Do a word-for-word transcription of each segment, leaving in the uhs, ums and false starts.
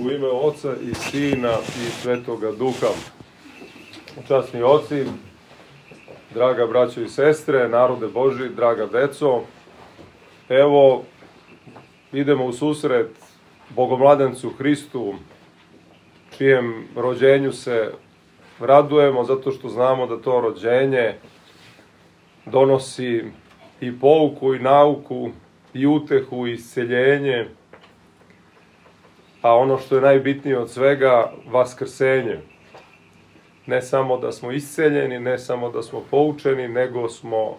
U ime Oca i Sina i Svetoga Duha. Časni oci, draga braćo i sestre, narode Božji, draga deco, evo idemo u susret Bogomladencu Hristu, čijem rođenju se radujemo, zato što znamo da to rođenje donosi i pouku i nauku i utehu i isceljenje, a ono što je najbitnije od svega, vaskrsenje. Ne samo da smo isceljeni, ne samo da smo poučeni, nego smo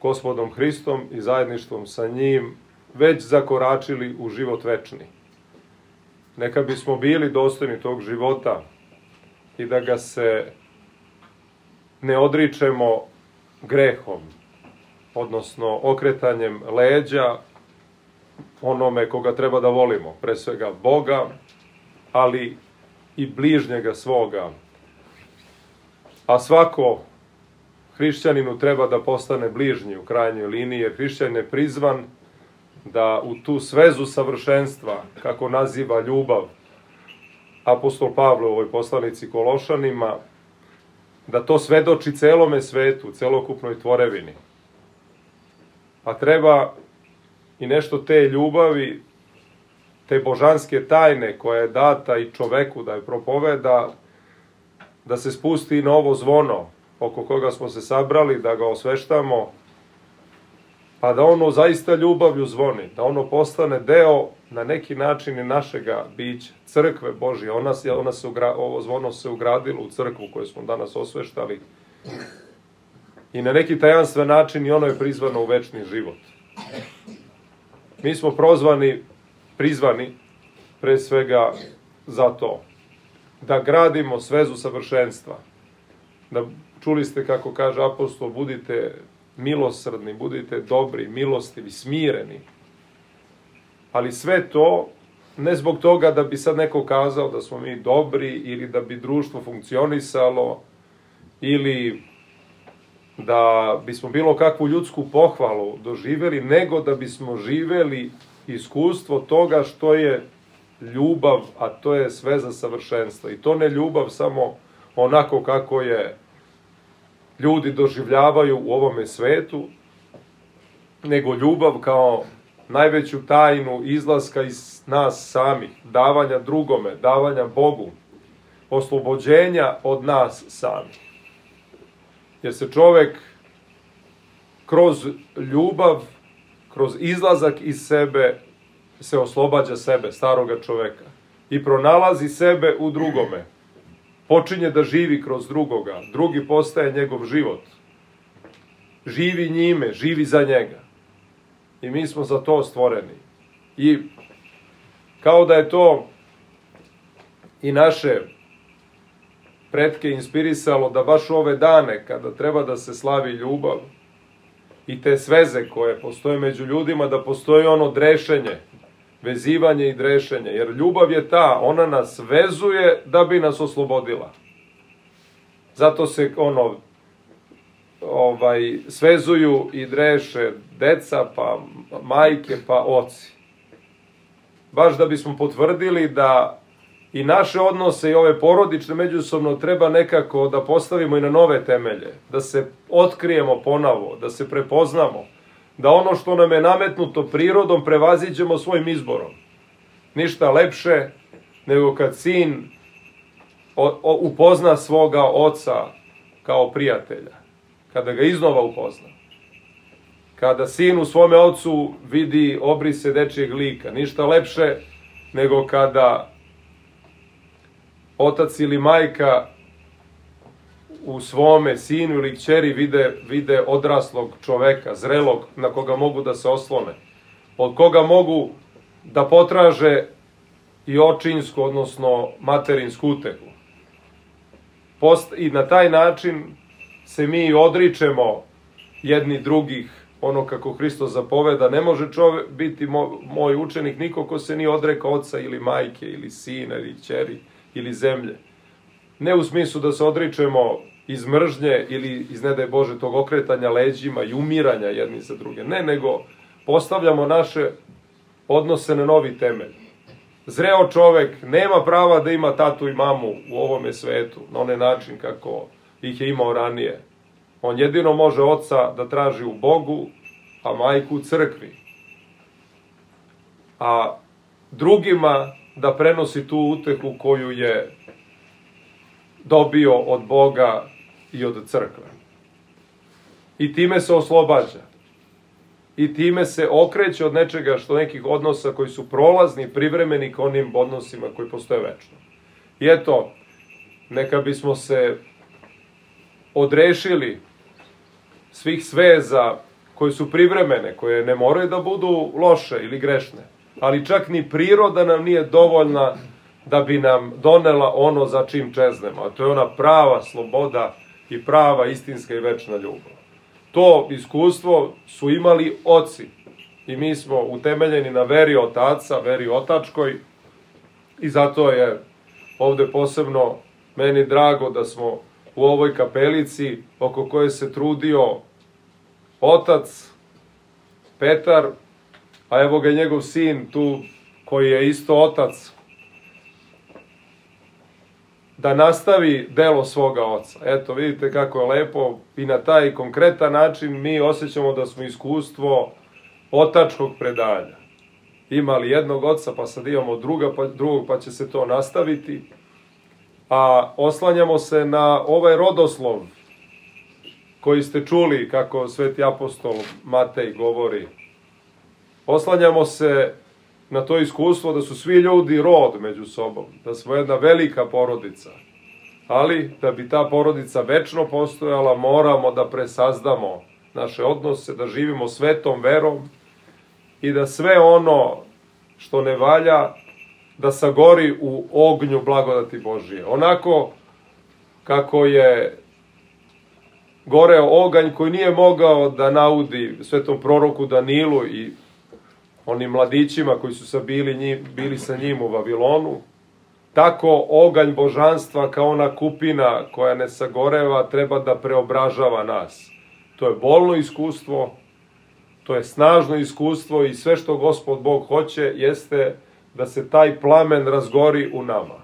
Gospodom Hristom i zajedništvom sa njim već zakoračili u život večni. Neka bismo bili dostojni tog života i da ga se ne odričemo grehom, odnosno okretanjem leđa onome koga treba da volimo, pre svega Boga, ali i bližnjega svoga. A svako hrišćaninu treba da postane bližnji u krajnjoj liniji, jer hrišćanin je prizvan da u tu svezu savršenstva, kako naziva ljubav apostol Pavle u ovoj poslanici Kološanima, da to svedoči celome svetu, celokupnoj tvorevini. A treba i nešto te ljubavi, te božanske tajne koja je data i čoveku da je propoveda, da se spusti na ovo zvono oko koga smo se sabrali, da ga osveštamo, pa da ono zaista ljubavlju zvoni, da ono postane deo na neki način i našega bića, crkve Božje. Ona, ona se ugra, ovo zvono se ugradilo u crkvu koju smo danas osveštali i na neki tajanstven način i ono je prizvano u večni život. Mi smo prozvani, prizvani pre svega za to, da gradimo svezu savršenstva. Da, čuli ste kako kaže apostol, budite milosrdni, budite dobri, milostivi, smireni. Ali sve to ne zbog toga da bi sad neko kazao da smo mi dobri ili da bi društvo funkcionisalo ili da bismo bilo kakvu ljudsku pohvalu doživjeli, nego da bismo živeli iskustvo toga što je ljubav, a to je sveza savršenstva. I to ne ljubav samo onako kako je ljudi doživljavaju u ovome svetu, nego ljubav kao najveću tajnu izlaska iz nas samih, davanja drugome, davanja Bogu, oslobođenja od nas samih. Jer se čovek kroz ljubav, kroz izlazak iz sebe se oslobađa sebe, staroga čoveka, i pronalazi sebe u drugome. Počinje da živi kroz drugoga, drugi postaje njegov život. Živi njime, živi za njega. I mi smo za to stvoreni. I kao da je to i naše pretke inspirisalo da baš ove dane, kada treba da se slavi ljubav i te sveze koje postoje među ljudima, da postoji ono drešenje, vezivanje i drešenje. Jer ljubav je ta, ona nas vezuje da bi nas oslobodila. Zato se ono ovaj, svezuju i dreše deca, pa majke, pa oci. Baš da bismo potvrdili da i naše odnose i ove porodične međusobno treba nekako da postavimo i na nove temelje, da se otkrijemo ponovo, da se prepoznamo, da ono što nam je nametnuto prirodom prevaziđemo svojim izborom. Ništa lepše nego kad sin upozna svoga oca kao prijatelja, kada ga iznova upozna. Kada sin u svome ocu vidi obrise dečijeg lika, ništa lepše nego kada otac ili majka u svome sinu ili kćeri vide, vide odraslog čoveka, zrelog, na koga mogu da se oslone, od koga mogu da potraže i očinsku, odnosno materinsku utehu. Post, I na taj način se mi odričemo jedni drugih, ono kako Hristos zapoveda. Ne može čovek biti moj, moj učenik niko ko se nije odrekao oca ili majke ili sina ili kćeri ili zemlje. Ne u smislu da se odričemo iz mržnje ili iz, ne daj Bože, tog okretanja leđima i umiranja jedni za druge. Ne, nego postavljamo naše odnose na novi temelj. Zreo čovek nema prava da ima tatu i mamu u ovome svetu, na onaj način kako ih je imao ranije. On jedino može oca da traži u Bogu, a majku u crkvi. A drugima da prenosi tu utehu koju je dobio od Boga i od crkve. I time se oslobađa. I time se okreće od nečega što nekih odnosa koji su prolazni, privremeni ka onim odnosima koji postoje večno. I eto, neka bismo se odrešili svih sveza koje su privremene, koje ne moraju da budu loše ili grešne, ali čak ni priroda nam nije dovoljna da bi nam donela ono za čim čeznemo, a to je ona prava sloboda i prava istinska i večna ljubav. To iskustvo su imali oci i mi smo utemeljeni na veri otaca, veri otačkoj i zato je ovde posebno meni drago da smo u ovoj kapelici oko koje se trudio otac Petar, a evo ga njegov sin tu koji je isto otac, da nastavi delo svoga oca. Eto, vidite kako je lepo i na taj konkretan način mi osjećamo da smo iskustvo otačkog predanja. Imali jednog oca, pa sad imamo druga, pa, drugog, pa će se to nastaviti. A oslanjamo se na ovaj rodoslov koji ste čuli kako sveti apostol Matej govori. Oslanjamo se na to iskustvo da su svi ljudi rod među sobom, da smo jedna velika porodica. Ali, da bi ta porodica večno postojala, moramo da presazdamo naše odnose, da živimo svetom verom i da sve ono što ne valja, da sagori u ognju blagodati Božije. Onako kako je goreo oganj koji nije mogao da naudi svetom proroku Danilu i onim mladićima koji su sa bili, njim, bili sa njim u Vavilonu, tako oganj božanstva kao ona kupina koja ne sagoreva treba da preobražava nas. To je bolno iskustvo, to je snažno iskustvo i sve što Gospod Bog hoće jeste da se taj plamen razgori u nama.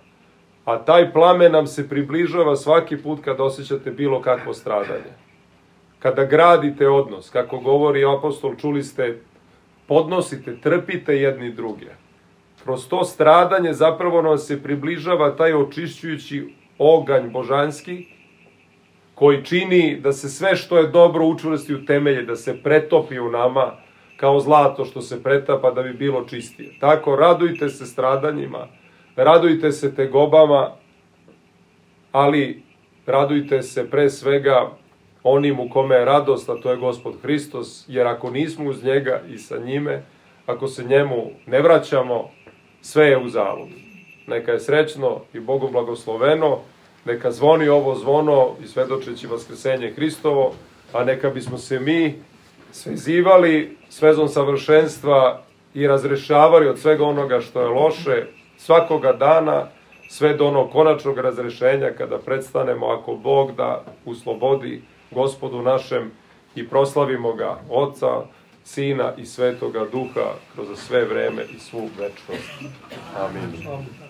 A taj plamen nam se približava svaki put kad osjećate bilo kakvo stradanje. Kada gradite odnos, kako govori apostol, čuli ste, podnosite, trpite jedni druge. Kroz to stradanje zapravo nam se približava taj očišćujući oganj božanski, koji čini da se sve što je dobro učvrsti u temelje, da se pretopi u nama kao zlato što se pretapa da bi bilo čistije. Tako, radujte se stradanjima, radujte se tegobama, ali radujte se pre svega onim u kome je radost, a to je Gospod Hristos, jer ako nismo uz njega i sa njime, ako se njemu ne vraćamo, sve je uzalud. Neka je srećno i Bogu blagosloveno, neka zvoni ovo zvono i svedočeći vaskrsenje Hristovo, a neka bismo se mi svezivali svezom savršenstva i razrešavali od svega onoga što je loše svakoga dana, sve do onog konačnog razrešenja kada predstanemo, ako Bog da, u slobodi Gospodu našem i proslavimo ga, Oca, Sina i Svetoga Duha kroz sve vreme i svu večnost. Amin.